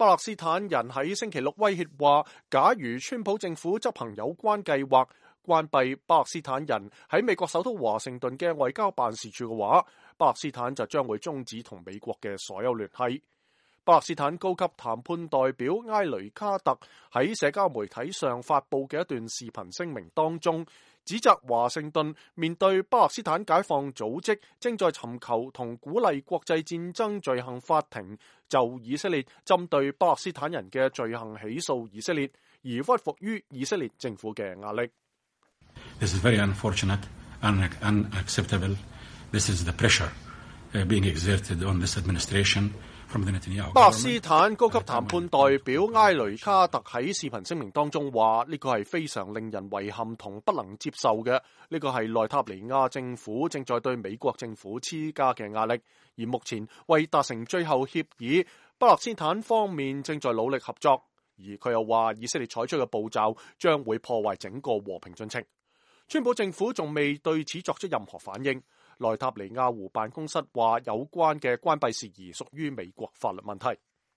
巴勒斯坦人喺星期六威脅話，假如川普政府執行有關計劃，關閉巴勒斯坦人喺美國首都華盛頓嘅外交辦事處嘅話，巴勒斯坦就將會終止同美國嘅所有聯繫。巴勒斯坦高級談判代表埃雷卡特喺社交媒體上發布嘅一段視頻聲明當中，指責華盛頓面對巴勒斯坦解放組織正在尋求同鼓勵國際戰爭罪行法庭就以色列針對巴勒斯坦人嘅罪行起訴以色列，而屈服於以色列政府嘅壓力。This is very unfortunate, unacceptable. This is the pressure being exerted on this administration.巴勒斯坦高級談判代表埃雷卡特喺視頻聲明當中話：呢個係非常令人遺憾同不能接受嘅，呢個係內塔尼亞政府正在對美國政府施加嘅壓力，而目前為達成最後協議，巴勒斯坦方面正在努力合作，而佢又話以色列採取嘅步驟將會破壞整個和平進程。川普政府仲未對此作出任何反應。內塔尼亞胡辦公室話有關嘅關閉事宜屬於美國法律問題。